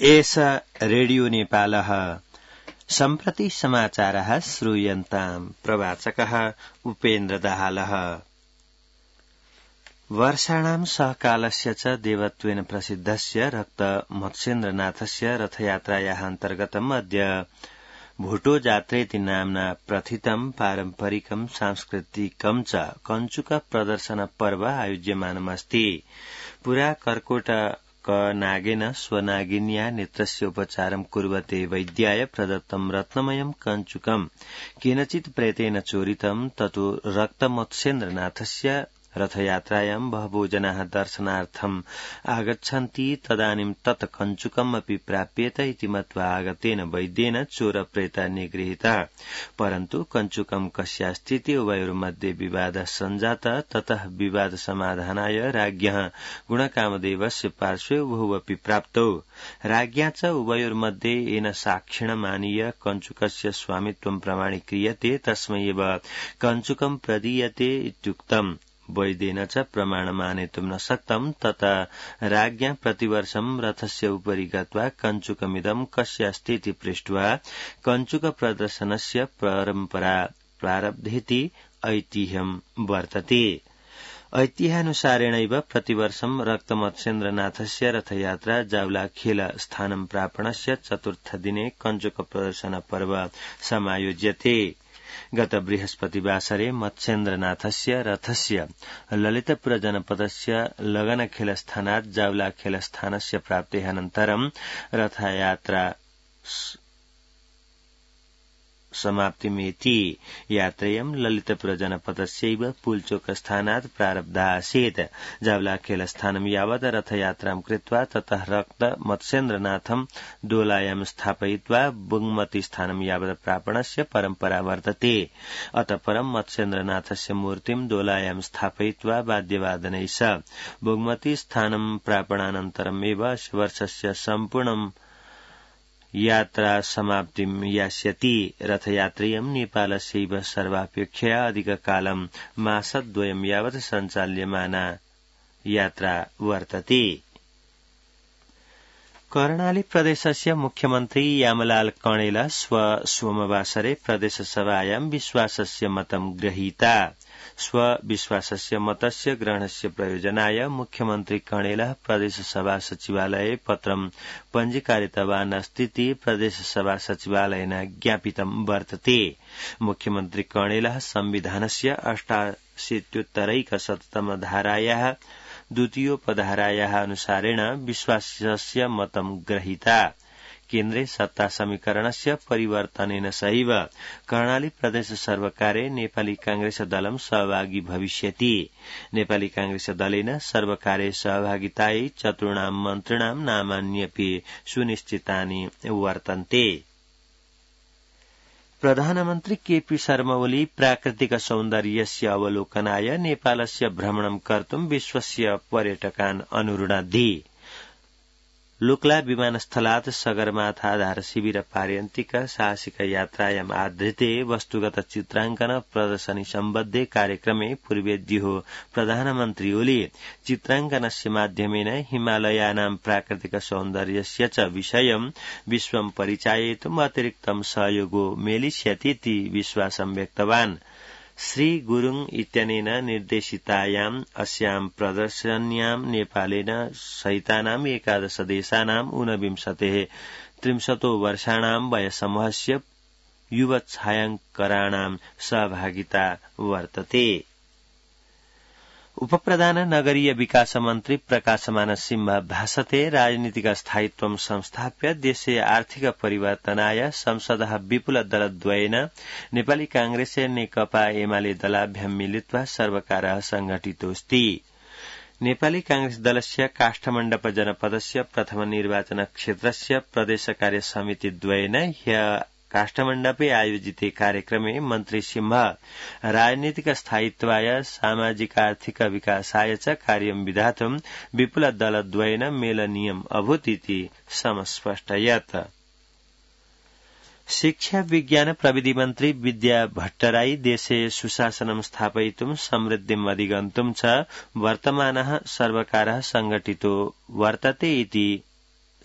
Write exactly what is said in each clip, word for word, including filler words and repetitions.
एष रेडियो नेपालः सम्प्रति समाचारः श्रूयन्ताम् प्रवाचकः उपेन्द्र दाहालः। वर्षाणां सहकालस्य च देवत्वेन प्रसिद्धस्य रक्त मत्स्येन्द्रनाथस्य रथयात्रायाः अन्तर्गतम् अद्य भुटो जात्रेति नाम्ना प्रथितं पारम्परिकं सांस्कृतिकं च कञ्चुक प्रदर्शन पर्व आयोज्यमानमस्ति। पुरा कर्कोट नागेन स्वनागिन्या नेत्रस्य उपचारं कुर्वते वैद्याय प्रदत्तं रत्नमयं कञ्चुकं केनचित् प्रेतेन चोरितं ततो रक्तमत्स्येन्द्रनाथस्य रथयात्रायां बहवो जनाः दर्शनार्थम् आगच्छन्ति। तदानीं तत् कञ्चुकम् अपि प्राप्येत इति मत्वा आगतेन वैद्येन चोरप्रेता निगृहीतः। परन्तु कञ्चुकं कस्यास्तीति उभयोर्मध्ये विवादः सञ्जातः। ततः विवाद समाधानाय राज्ञः गुणकामदेवस्य पार्श्वे उभौ अपि प्राप्तौ। राज्ञा च उभयोर्मध्ये येन साक्षिणमानीय कञ्चुकस्य स्वामित्वं प्रमाणीक्रियते तस्मै एव कञ्चुकं प्रदीयते इत्युक्तम्। वैद्येन च प्रमाणमानेतुं न शक्तं। तथा राज्ञा प्रतिवर्षं रथस्य उपरि गत्वा कञ्चुकमिदं कस्यास्तीति पृष्ट्वा कञ्चुक प्रदर्शनस्य परम्परा प्रारब्धेति ऐतिह्यं वर्तते। ऐतिह्यानुसारेणैव प्रतिवर्षं रक्तमत्स्येन्द्रनाथस्य रथयात्रा जावलाखेल स्थानं प्रापणस्य चतुर्थदिने कञ्चुक प्रदर्शन पर्व समायोज्यते। गत बृहस्पतिवासरे मत्स्येन्द्रनाथस्य रथस्य ललितपुर जनपदस्य लगनखेलस्थानात् जावलाखेलस्थानस्य प्राप्तेः अनन्तरं रथयात्रा समाप्तिमेति। यात्रेयं ललितपुर जनपदस्यैव पुलचोकस्थानात् प्रारब्धा आसीत्। जावलाखेलस्थानं यावत् रथयात्रां कृत्वा ततः रक्त मत्स्येन्द्रनाथं दोलायां स्थापयित्वा बुङ्मती स्थानं यावत् प्रापणस्य परम्परा वर्तते। अतः परं मत्स्येन्द्रनाथस्य मूर्तिं दोलायां स्थापयित्वा वाद्यवादनैः सह बुङ्मती स्थानं प्रापणानन्तरमेव वर्षस्य सम्पूर्णं यात्रा समाप्तिं यास्यति। रथयात्रेयं नेपालस्यैव सर्वापेक्षया अधिककालं मासद्वयं यावत् सञ्चाल्यमाना यात्रा वर्तते। कर्णाली प्रदेशस्य मुख्यमन्त्री यामलाल कणेल स्व सोमवासरे प्रदेशसभायां विश्वासस्य मतं गृहीता। स्व विश्वासस्य मतस्य ग्रहणस्य प्रयोजनाय मुख्यमन्त्री कणेलः प्रदेशसभा सचिवालये पत्रं पञ्जीकारितवान् अस्तीति प्रदेशसभा सचिवालयेन ज्ञापितं वर्तते। मुख्यमन्त्री कणेलः संविधानस्य अष्टाशीत्युत्तरैकशततम धारायाः द्वितीयोपधारायाः अनुसारेण विश्वासस्य मतं गृहीता। केन्द्रे सत्ता समीकरणस्य परिवर्तनेन सहैव कर्णाली प्रदेश सर्वकारे नेपाली कांग्रेस दलं सहभागी भविष्यति। नेपाली कांग्रेस दलेन सर्वकारे सहभागितायै चतुर्णां मन्त्रिणां नामान्यपि सुनिश्चितानि वर्तन्ते। प्रधानमन्त्री केपी शर्मा ओली प्राकृतिक सौन्दर्यस्य अवलोकनाय नेपालस्य भ्रमणं कर्तुं विश्वस्य पर्यटकान् अनुरुणद्धि। लुक्ला विमानस्थलात् सगरमाथा शिविर पार्यन्तिक साहसिक यात्रायाम् आधृते वस्तुगत चित्रांकन प्रदर्शनी सम्बद्धे कार्यक्रमे पूर्वेद्युः प्रधानमन्त्री ओली चित्रांकनस्य माध्यमेन हिमालयानां प्राकृतिक सौन्दर्यस्य च विषयं विश्वं परिचाययितुम् अतिरिक्तं सहयोगो मेलिष्यतीति विश्वासं व्यक्तवान्। श्री गुरुङ इत्यनेन निर्देशितायाम् अस्यां प्रदर्शन्यां नेपालेन सहितानाम् एकादश देशानाम् ऊनविंशतेः त्रिंशतो वर्षाणां वयसमूहस्य युवछायाङ्कराणां सहभागिता वर्तते। उपप्रधान नगरीय विकास मन्त्री प्रकाशमान सिंह भाषते राजनीतिक स्थायित्वं संस्थाप्य देशे आर्थिक परिवर्तनाय संसदः विपुल दलद्वयेन नेपाली कांग्रेस नेकपा एमाले दलाभ्यां मिलित्वा सर्वकारः संघटितोऽस्ति। नेपाली कांग्रेस दलस्य काष्ठमण्डप जनपदस्य प्रथम निर्वाचन क्षेत्रस्य प्रदेश कार्य समिति द्वयेन ह्यः काष्ठमण्डपे आयोजिते कार्यक्रमे मन्त्री सिंह राजनीतिक स्थायित्वाय सामाजिकार्थिक विकासाय च कार्यं विधातुं विपुल दलद्वयेन मेलनीयम् अभूत् इति समस्पष्टयत्। शिक्षा विज्ञान प्रविधि मन्त्री विद्या भट्टराई देशे सुशासनं स्थापयितुं समृद्धिम् अधिगन्तुं च वर्तमानः सर्वकारः संघटितो वर्तते इति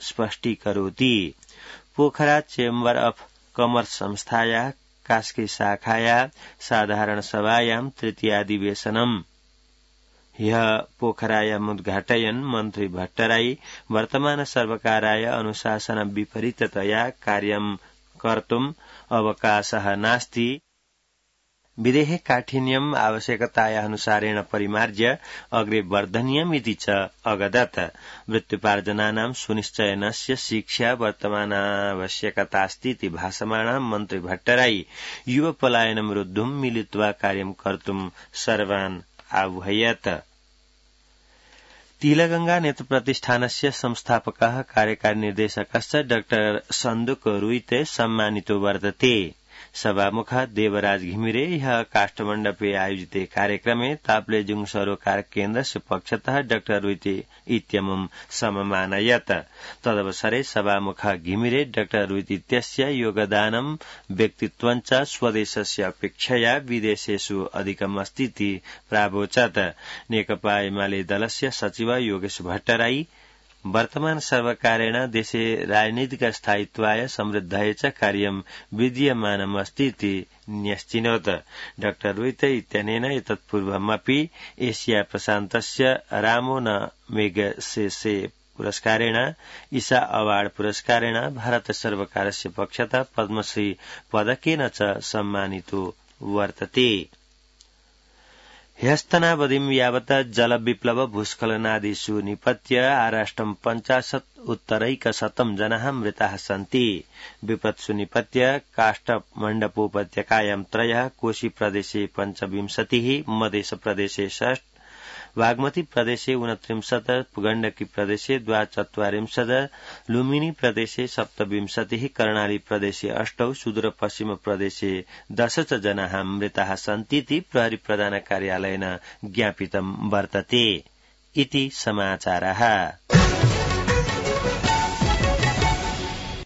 स्पष्टीकरोति। पोखरा चेम्बर अफ कमर्स संस्थाया कास्की शाखाया साधारण सभायां तृतीयाधिवेशनम् ह्यः पोखरायाम् उद्घाटयन् मन्त्री भट्टराई वर्तमान सर्वकाराय अनुशासन विपरीततया कार्यं कर्तुम् अवकाशः नास्ति, विदेहे काठिन्यम् आवश्यकतायानुसारेण परिमार्ज्य अग्रे वर्धनीयमिति च अगदत्। वृत्त्युपार्जनानां सुनिश्चयनस्य शिक्षा वर्तमानावश्यकतास्तीति भाषमाणा मन्त्री भट्टराई युवपलायनं रोद्धुं मिलित्वा कार्यं कर्तुं सर्वान् आह्वयत्। तिलगंगा नेत्रप्रतिष्ठानस्य संस्थापकः कार्यकारी निर्देशकश्च डाक्टर सन्दुक रुइते सम्मानितो वर्तते। सभामुखः देवराज घिमिरे ह्यः काष्ठमण्डपे आयोजिते कार्यक्रमे ताप्लेजुङ सरोकार केन्द्रस्य पक्षतः डाक्टर रुइते इत्यमुं सममानयत्। तदवसरे सभामुखः घिमिरे डाक्टर रुइते इत्यस्य योगदानं व्यक्तित्वञ्च स्वदेशस्य अपेक्षया विदेशेषु अधिकमस्तीति प्रावोचत्। नेकपा एमाले दलस्य सचिव योगेश भट्टराई वर्तमान सर्वकारेण देशे राजनीतिक स्थायित्वाय समृद्धाय च कार्यं विद्यमानमस्तीति न्यश्चिनोत्। डाक्टर रुइते इत्यनेन एतत्पूर्वमपि एशिया प्रशान्तस्य रामोन मेगसेसे पुरस्कारेण ईसा अवार्ड पुरस्कारेण भारत सर्वकारस्य पक्षतः पद्मश्री पदकेन च सम्मानितो वर्तते। ह्यस्तनावधिं यावत् जलविप्लव भूस्खलनादिषु निपत्य आराष्ट्रं पञ्चाशत् उत्तरैकशतं जनाः मृताः सन्ति। विपत्सु निपत्य काष्ठमण्डपोपत्यकायां त्रयः, कोशी प्रदेशे पञ्चविंशतिः, मधेश प्रदेशे षष्ठ, बागमती प्रदेशे ऊनत्रिंशत्, गण्डकी प्रदेशे द्वाचत्वारिंशत्, लुम्बिनी प्रदेशे सप्तविंशतिः, कर्णाली प्रदेशे अष्टौ, सुदूरपश्चिम प्रदेशे दश च जनाः मृताः सन्तीति प्रहरी प्रधान कार्यालयेन ज्ञापितं वर्तते। इति समाचारः।